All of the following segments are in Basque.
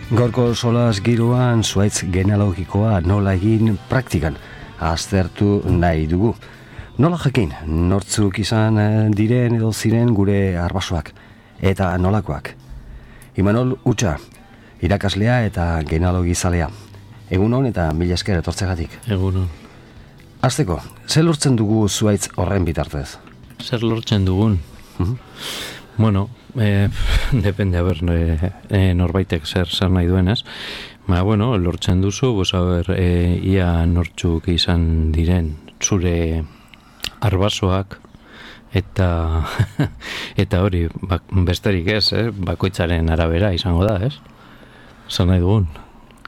Gaurko solas giroan zuhaitz genealogikoa nola egin praktikan aztertu nahi dugu. Nola jakin, nortzuk izan diren edo ziren gure arbasoak eta nolakoak. Imanol Utsa, irakaslea eta genealogizalea. Egunon eta mila esker etortzegatik. Egunon. Hasteko, zer lortzen dugu zuhaitz horren bitartez? Zer lortzen dugun? Bueno, depende, norbaitek zer nahi duenez. Bueno, lortzen duzu, ia nortzuk izan diren zure arbasoak, eta hori, besterik ez, bakoitzaren arabera izango da, ez? Zer nahi dugun?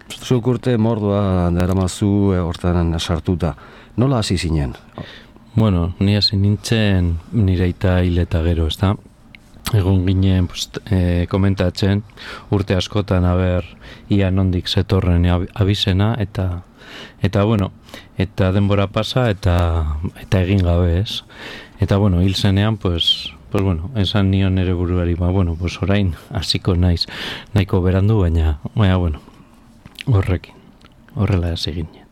Zuk urte mordoa daramazu hortan sartuta. Nola hasi zinen? Bueno, ni hasi nintzen nire aita hil eta gero, ez da? Egon ginen komentatzen urte askotan ia nondik zetorren abizena eta bueno, eta denbora pasa eta egin gabe, ez? Eta bueno, hil zenean, pues bueno, esan nion ere buruari, orain hasiko naiz nahiko berandu, baina bueno, horrela hasi ginen.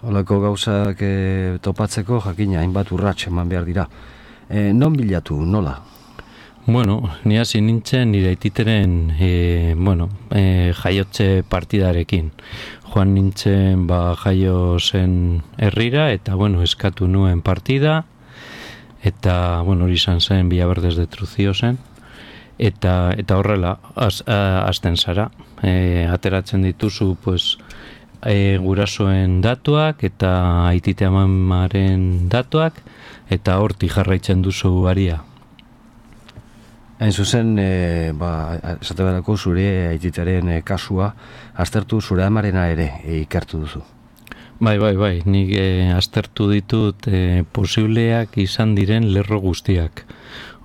Holako gauzak topatzeko jakina hainbat urrats eman behar dira. Non bilatu, nola? Bueno, ni hasi nintzen nire aititeren jaiotze partidarekin. Joan nintzen jaio zen herrira eta eskatu nuen partida eta hori izan zen Villaverdez de Trucío zen eta horrela hasten zara. Ateratzen dituzu gurasoen datuak eta aitite amamaren datuak eta hortik jarraitzen duzu aria. Hain zuzen, esate badako zure aititaren kasua, aztertu zure amarena ere ikertu duzu. Bai, nik aztertu ditut posibleak izan diren lerro guztiak.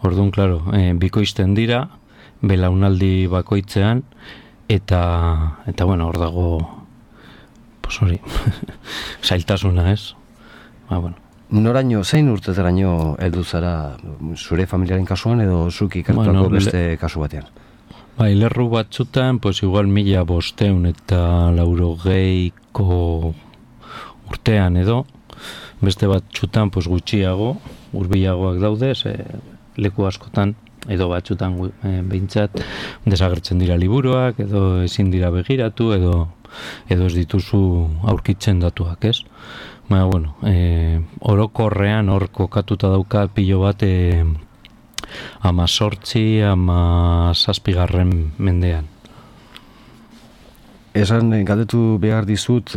Orduan, klaro, bikoizten dira, belaunaldi bakoitzean, eta hor dago, zailtasuna, ez? Noraino, zein urtetaraino heldu zara zure familiaren kasuan edo zuk ikertuako beste kasu batean? Lerru batzutan, igual 1500 eta 90ko urtean edo, beste batzutan gutxiago, hurbilagoak daude, leku askotan, edo batzutan behintzat desagertzen dira liburuak, edo ezin dira begiratu, edo ez dituzu aurkitzen datuak, ez? Orokorrean hor kokatuta dauka pilo bat 18-17 mendean. Esan galdetu behar dizut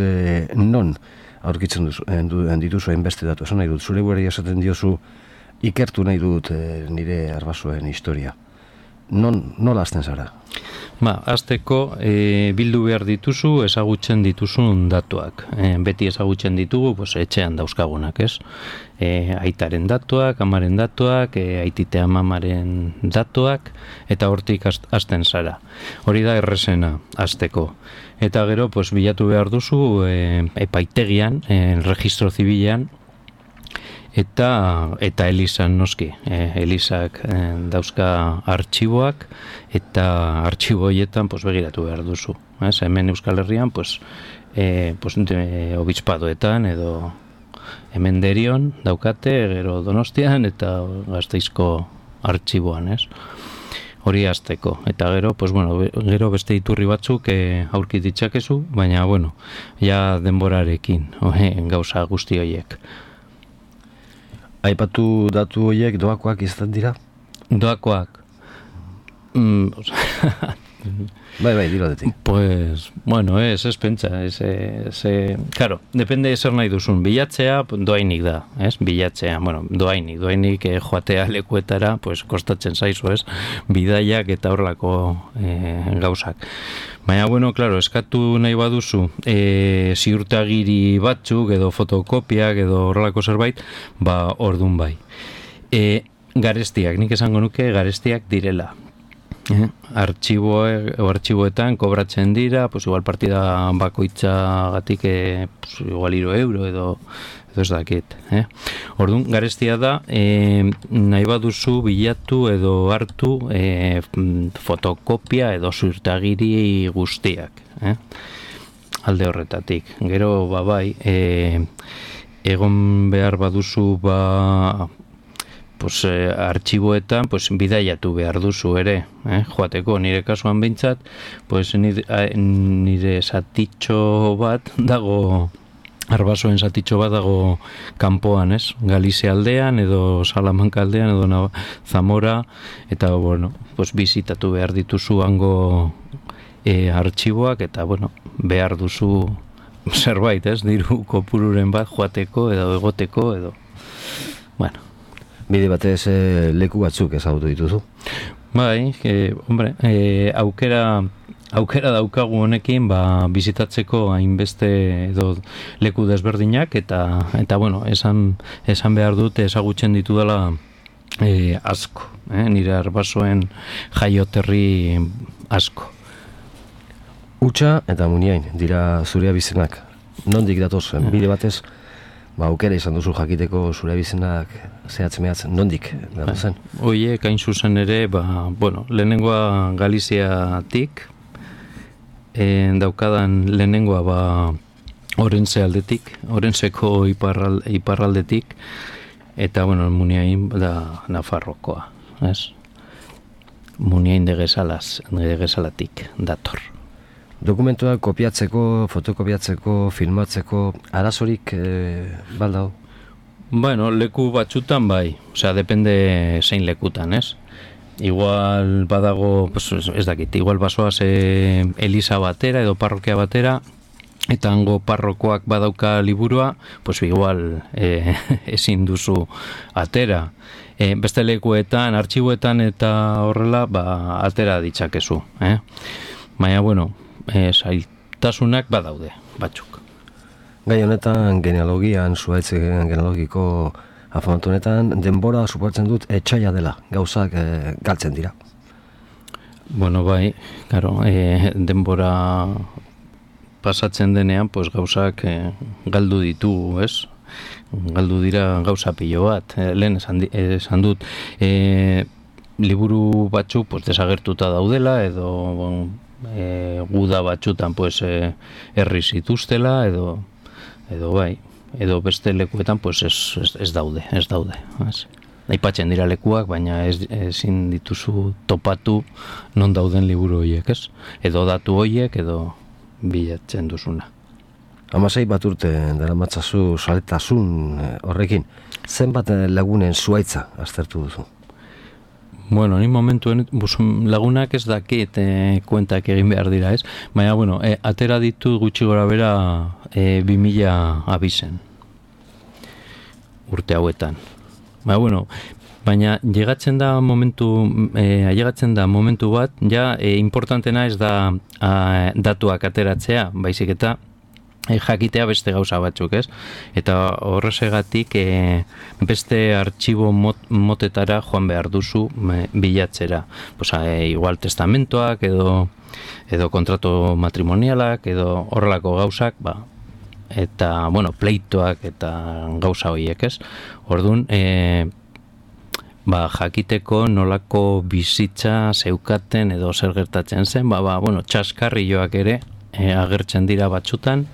non aurkitzen dituzu hainbeste datu. Esan nahi dut, zure buruari esaten diozu ikertu nahi dut nire arbasoen historia. Nola hasten zara? Hasteko bildu behar dituzu ezagutzen dituzun datuak. Beti ezagutzen ditugu etxean dauzkagunak, ez? Aitaren datuak, amaren datuak, aitite amamaren datuak, eta hortik hasten zara. Hori da errezena hasteko. Eta gero bilatu behar duzu epaitegian, registro zibilean, eta elizan noski. Elizak dauzka artxiboak eta artxibo horietan begiratu behar duzu. Hemen Euskal Herrian obispadoetan edo hemen Derion daukate, gero Donostian eta Gasteizko artxiboan, ez? Hori hasteko. Eta gero, gero beste iturri batzuk aurki ditzakezu, baina ja denborarekin gauza guzti horiek. Aipatu datu horiek doakoak izan dira? Doakoak? Bai, dilo detik. Ez pentsa. Claro, depende zer nahi duzun. Bilatzea, doainik da, ez? Bilatzea, doainik joatea lekuetara, kostatzen zaizu, ez? Bidaiak eta horrelako gauzak. Baina, claro, eskatu nahi baduzu ziurtagiri batzuk edo fotokopiak edo horrelako zerbait, ordun bai. Garestiak, nik esango nuke garestiak direla. Artxiboetan kobratzen dira, igual partida bakoitzagatik igual €3 edo edo ez dakit. Orduan, garestia da, nahi baduzu bilatu edo hartu fotokopia edo ziurtagiri guztiak. Alde horretatik. Gero, bai, egon behar baduzu, artxiboetan, bidaiatu behar duzu ere, joateko, nire kasuan behintzat, nire zatitxo bat dago, Arbasoen zatitxo bat dago kanpoan, Galizia aldean, edo Salamanca aldean, edo Zamora, eta, bizitatu behar dituzu hango artxiboak, eta, behar duzu zerbait, diru kopururen bat joateko, edo egoteko, edo, Bide batez leku batzuk ezagutu dituzu? Bai, aukera daukagu honekin bizitatzeko hainbeste edo leku desberdinak eta esan behar dut ezagutzen ditu dela asko, nire Arbasoen jaioterri asko. Utsa eta Muniain dira zure abizenak. Nondik datoz, bide batez, aukera izan duzu jakiteko zure abizenak zehatz-mehatz, nondik datozen? Oie, kain zuzen ere, lehenengoa Galiziatik, daukadan lehenengoa Orense aldetik, Orenseko iparraldetik, eta, Muniain da Nafarrokoa, Muniain de Gesalatik dator. Dokumentuak kopiatzeko, fotokopiatzeko, filmatzeko, arazorik baldao? Leku batzutan bai, depende zein lekutan, Igual badago, ez dakit, igual basoaz Elisa batera edo parrokia batera, eta hango parrokoak badauka liburua, igual ezin duzu atera. Beste lekuetan, artxiboetan eta horrela, atera ditzakezu. Baina, zailtasunak badaude, batzuk. Gai honetan, genealogian, zuaitz genealogiko afamatu honetan, denbora suportzen dut etxaila dela, gauzak galtzen dira. Bai, claro, denbora pasatzen denean, gauzak galdu ditugu, Galdu dira gauza pilo bat, lehen esan dut, liburu batzuk desagertuta daudela, edo guda batzutan herri zituztela, edo bai, edo beste lekuetan ez daude. Aipatzen dira lekuak, baina ezin dituzu topatu non dauden liburu horiek, edo datu horiek, edo bilatzen duzuna. 16 bat urte daramatzazu saletasun horrekin, zenbat lagunen zuaitza aztertu duzu? Ni momentuen lagunak ez dakit kuentak egin behar dira, baina, atera ditu gutxi gora bera 2000 abizen urte hauetan. Baina llegatzen da momentu bat, ja importantena ez da datuak ateratzea, baizik eta jakitea beste gauza batzuk, Eta horrezegatik beste artxibo motetara joan behar duzu bilatzera. Igual testamentoak edo kontratu matrimonialak edo horrelako gauzak, eta, pleitoak eta gauza horiek, Orduan, jakiteko nolako bizitza zeukaten edo zer gertatzen zen, txaskarrioak ere agertzen dira batzutan,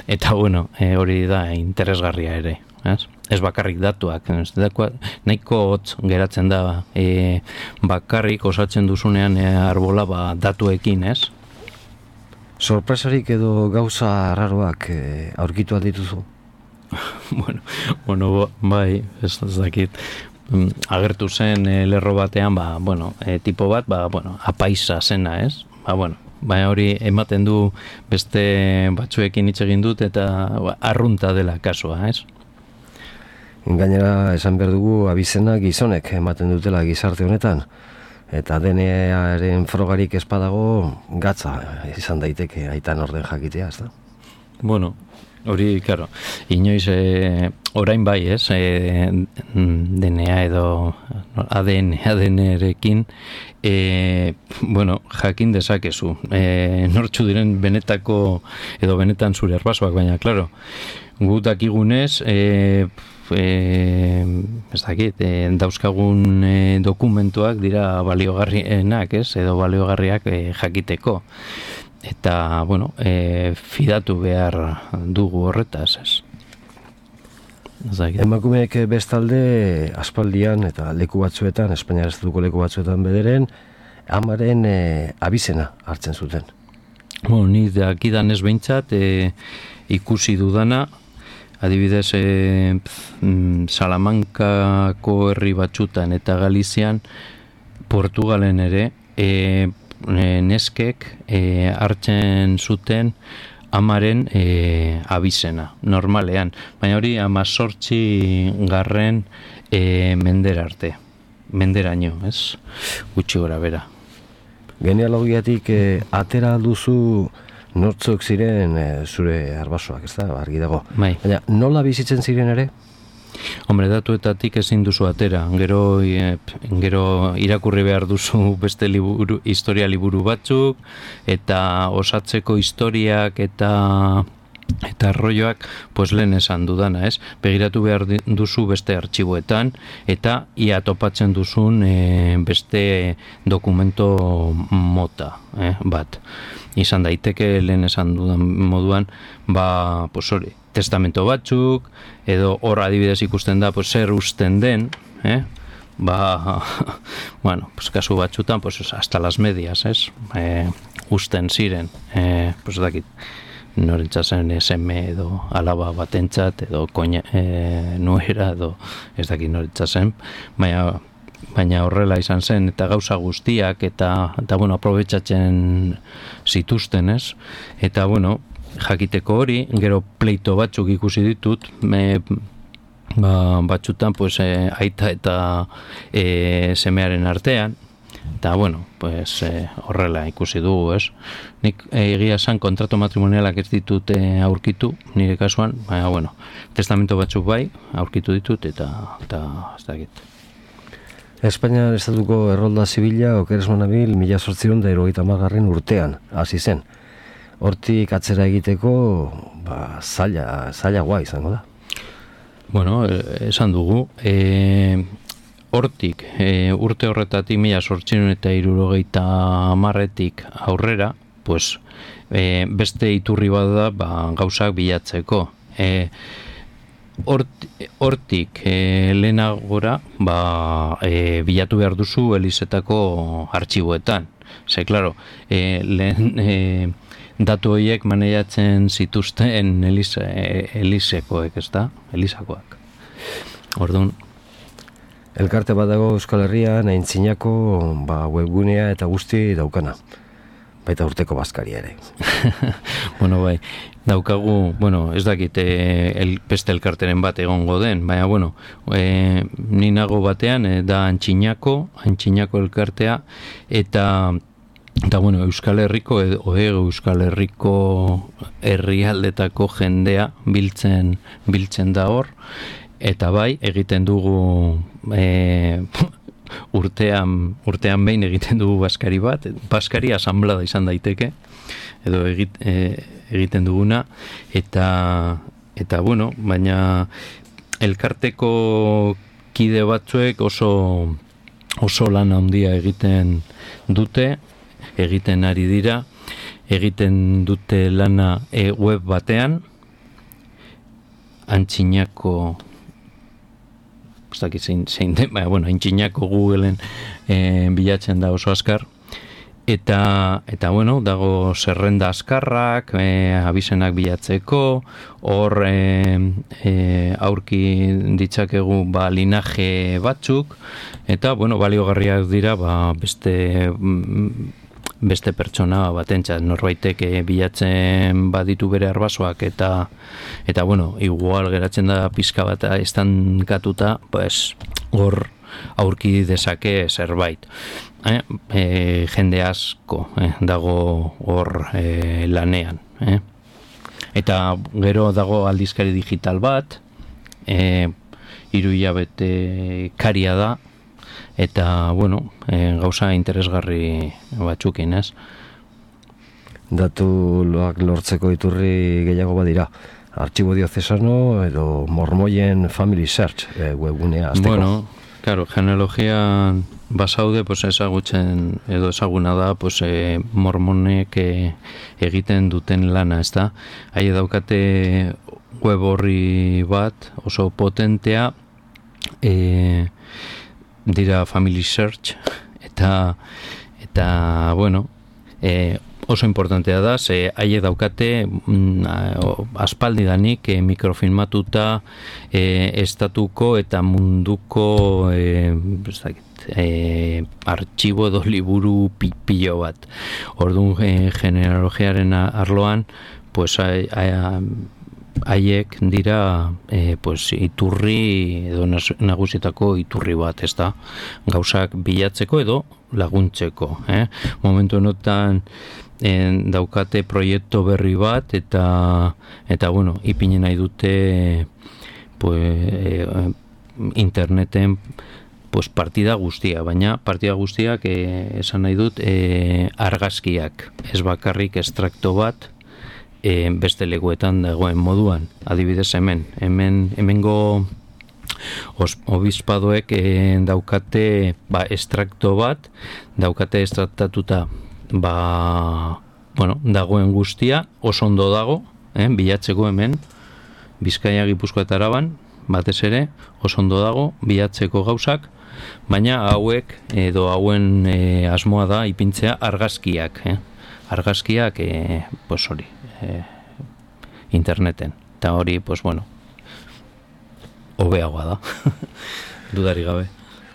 eta hori da interesgarria ere, ez bakarrik datuak, nahiko hotz geratzen da bakarrik osatzen duzunean arbola datuekin, Sorpresarik edo gauza raroak aurkitu aldituzu? Bai, ez dakit, agertu zen lerro batean, tipo bat, apaisa zena, Baina hori ematen du beste batzuekin hitz egin dut eta arrunta dela kasua, Gainera, esan behar dugu abizena gizonek ematen dutela gizarte honetan, eta DNA-aren frogarik espadago gatza izan daiteke aitan orden jakitea, ez da? Hori, claro, inoiz orain bai, DNA edo ADN-erekin, jakin dezakezu. Nortzu diren benetako edo benetan zure arbasoak, baina, claro, Gu dakigunez, ez dakit, dauzkagun dokumentuak dira baliogarrienak, edo baliogarriak jakiteko. Eta, bueno, fidatu behar dugu horretaz, ez. Emakumeek bestalde aspaldian eta leku batzuetan, Espainiar estatuko leku batzuetan bederen, amaren abizena hartzen zuten. Ni dakidan ez behintzat ikusi dudana, adibidez Salamankako herri batzutan eta Galizian, Portugalen ere, neskek hartzen zuten amaren abizena, normalean. Baina hori 18. Mendera arte. Menderaino, ez? Gutxi gora bera. Genealogiatik atera duzu nortzuk ziren zure arbasoak, ez da? Argi dago. Bai. Baina nola bizitzen ziren ere? Hombre, datuetatik ezin duzu atera. Gero irakurri behar duzu beste historia liburu batzuk, eta osatzeko historiak eta arroioak, pues lehen esan dudana, ez? Begiratu behar duzu beste artxiboetan, eta ia topatzen duzun beste dokumento mota, bat. Izan daiteke lehen esan dudan moduan, pues hori, testamento batzuk, edo hor adibidez ikusten da, pues zer usten den, bueno, pues kasu batzutan, pues hasta las medias, ez? Usten ziren, pues dakit, norentzatzen seme edo alaba batentzat, edo nuera, edo ez dakit norentzatzen, baina horrela izan zen, eta gauza guztiak, eta bueno, aprobetxatzen zituzten, ez? Eta, bueno, jakiteko hori, gero pleito batzuk ikusi ditut, batzutan, pues, aita eta semearen artean, eta, bueno, pues, horrela ikusi dugu, ez? Nik egia esan kontrato matrimonialak ez ditut aurkitu, nire kasuan, baina, bueno, testamento batzuk bai, aurkitu ditut, eta ez dakit. Espainiar estatuko errolda zibila okeres manabil 1870 urtean hasi zen. Hortik atzera egiteko zailagoa izango da. Bueno, esan dugu, hortik urte horretatik 1870etik aurrera, pues, beste iturri bat da gauzak bilatzeko. Hortik lehenagora bilatu behar duzu Elizetako artxiboetan. Ze, klaro, lehen datu horiek maneiatzen zituzten Elisekoek, ez da? Elisakoak. Orduan, elkarte bat dago Euskal Herrian, Aintzinako webgunea eta guzti daukana. Baita urteko bazkaria ere. Bueno, bai, daukagu, bueno, ez dakit beste elkarteren bat egongo den, baina, bueno, ni nago batean, da Aintzinako elkartea, eta bueno, Euskal Herriko Euskal Herriko herrialdetako jendea biltzen da hor, eta bai, egiten dugu urtean behin egiten dugu baskari bat, baskari asamblada izan daiteke, edo egiten duguna, eta bueno, baina elkarteko kide batzuek oso lan handia egiten dute, egiten ari dira, egiten dute lana web batean, Aintzinako zein den, bueno, Aintzinako Googleen bilatzen da oso azkar, eta bueno, dago zerrenda azkarrak, abizenak bilatzeko, hor aurki ditzakegu linaje batzuk, eta bueno, baliogarriak dira beste pertsona batentzat, norbaitek bilatzen baditu bere arbasoak eta bueno, igual geratzen da pizka bat estankatuta, pues hor aurki dezake zerbait. Jende asko dago hor lanean. Eta gero dago aldizkari digital bat, 3 hilabete karia da, eta, bueno, gauza interesgarri batzukin, ez? Datuak lortzeko iturri gehiago badira. Archibo Diocesano edo Mormoien Family Search webgunea azteko. Bueno, claro, genealogian basaude, pues ezagutzen edo ezaguna da, pues mormonek egiten duten lana, ez da? Haie daukate web horri bat oso potentea, dira Family Search, eta bueno, oso importantea da, ze haie daukate aspaldidanik mikrofilmatuta estatuko eta munduko artxibo edo liburu pilo bat. Orduan genealogiaren arloan, pues haiek dira pues iturri edo nagusitako iturri bat, ez da, gauzak bilatzeko edo laguntzeko, momentu honetan daukate proiektu berri bat eta bueno, ipini nahi dute pues interneten pues partida guztia, baina partida guztiak esan nahi dut argazkiak, ez bakarrik estrakto bat beste leguetan dagoen moduan, adibidez hemengo obispadoek daukate estrakto bat, daukate estraktatuta bueno, dagoen guztia, oso ondo dago, bilatzeko hemen, Bizkaia, Gipuzkoa eta Araban, batez ere, oso ondo dago, bilatzeko gauzak, baina hauek edo hauen asmoa da ipintzea argazkiak, argazkiak, pues hori, interneten, eta hori, pues bueno, hobeagoa da, dudari gabe.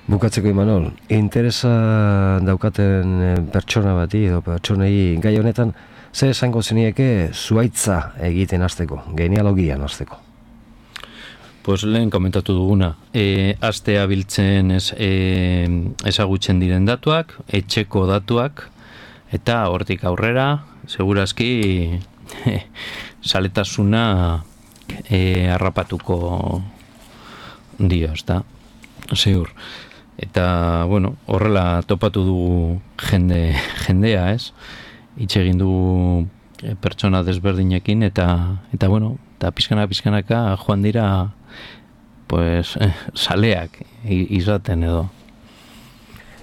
Bukatzeko, Imanol, interesa daukaten pertsona bati edo pertsonei gai honetan, ze esango zenieke zuaitza egiten hasteko, genealogian hasteko? Pues lehen komentatu duguna, astea biltzen ezagutzen diren datuak, etxeko datuak, eta hortik aurrera, segurazki saletasuna harrapatuko dio, ez da, ziur. Eta, bueno, horrela topatu dugu jendea, ez? Hitz egin dugu pertsona desberdinekin, eta bueno, eta pizkanaka joan dira, pues, saleak izaten edo.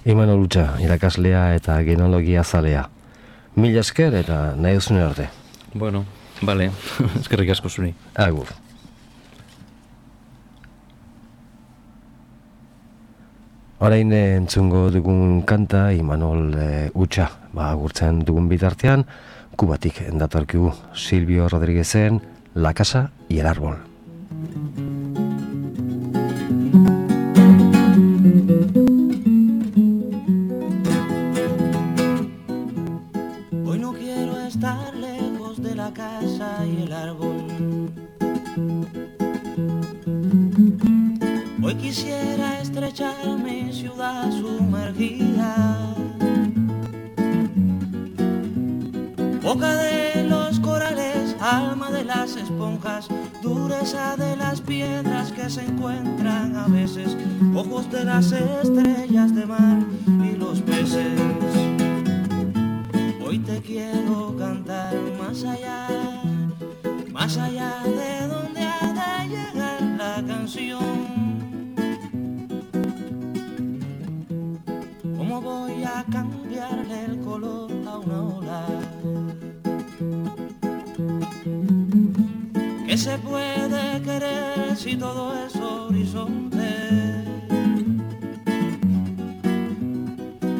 Imanol Utxa, irakaslea eta genealogia zalea. Mila esker eta nahi duzune arte. Bueno, bale, eskerrik asko zuri. Agur. Orain entzungo dugun kanta Imanol Utxa, agurtzen dugun bitartean, Kubatik datorkigu Silvio Rodríguezen La Casa y el Árbol. Hoy no quiero estar lejos de la casa y el árbol. Hoy quisiera estrechar mi ciudad sumergida, boca de los corales, alma de las esponjas, dureza de las piedras que se encuentran a veces, ojos de las estrellas de mar y los peces. Hoy te quiero cantar más allá de donde ha de llegar la canción. ¿Cómo voy a cambiarle el color a una ola? ¿Qué se puede querer si todo es horizonte?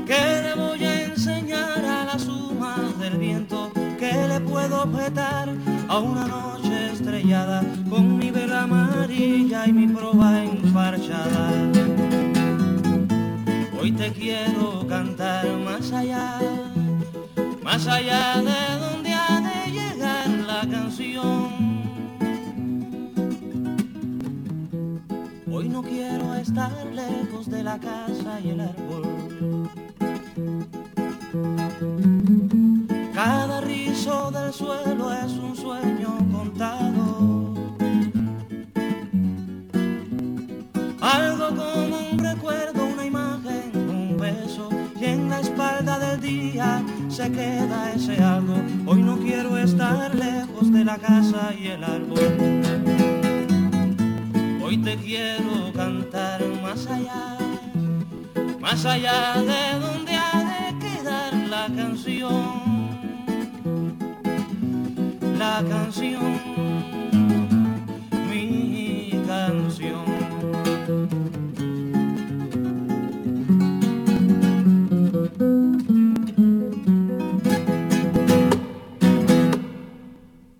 ¿Qué le voy a enseñar a la suma del viento? ¿Qué le puedo objetar a una noche estrellada con mi vela amarilla y mi proa enfarchada? Hoy te quiero cantar más allá de donde ha de llegar la canción. Hoy no quiero estar lejos de la casa y el árbol. Cada rizo del suelo es un sueño contado, algo como un recuerdo, una imagen, un beso, y en la espalda del día se queda ese algo. Hoy no quiero estar lejos de la casa y el árbol. Hoy te quiero cantar más allá de donde ha de quedar la canción